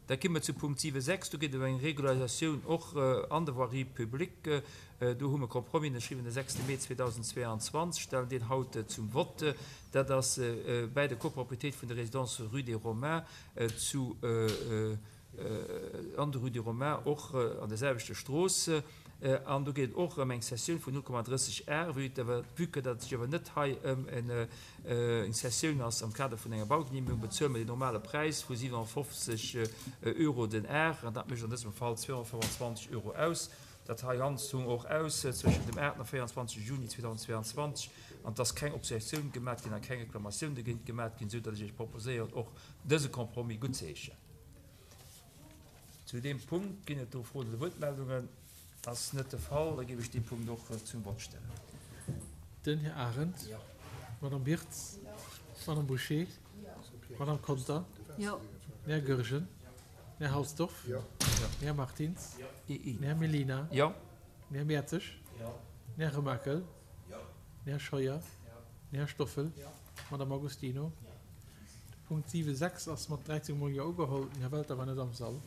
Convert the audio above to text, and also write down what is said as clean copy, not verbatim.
Da gi mer zu Punkt 7,6. Do geet et ëm eng Regularisatioun och an der Voirie publique. Do hu mer e Compromis ënnerschriwwen de 6 Mee 2022, stellen deen haut zum Vott. Dat ass bäi der Copropriétéit vun der Résidence rue des Romains zu an der Rue des Romains, och an der selwechter Strooss. An do geet et och ëm eng Cessioun vun 0,30 Ar, vue vue que datt et sech awer net hei ëm eng Cessioun ass am Kader vun enger Baugenehmegung, bezuele mer deen normale Präis vu 57 Euro den Ar, an dat mécht an dësem Fall 225 Euro aus. Dat hei Ganzt hu mer och aus zwëschen dem 8 a 24 Juni 2022, an et ass keng Objektioun gemat ginn a keng Reklamatioun dogéint gemat ginn, esou datt ech Iech proposéieren, och dëse Compromis guttzeheeschen. Zu deem Punkt ginn et do Froen oder Wuertmeldungen? Ass net de Fall, da géif ech dee Punkt och zum Vott stellen. Den Här Arendt. Jo. D'Madame Birtz. Jo. D'Madame Bouché. Jo. D'Madame Conter. Jo. Den Här Goergen. Den Här Halsdorf. Jo. Den Här Martins. Jo. Den Här Mellina. Jo. Den Här Mertzig. Jo. Den Här Remakel. Jo. Den Här Scheuer. Jo. Den Här Stoffel. Jo. D'Madame Agostino. Jo. De Punkt 7, 6 ass mat 13 mol Jo ugeholl. Den Här Welter war net am Sall.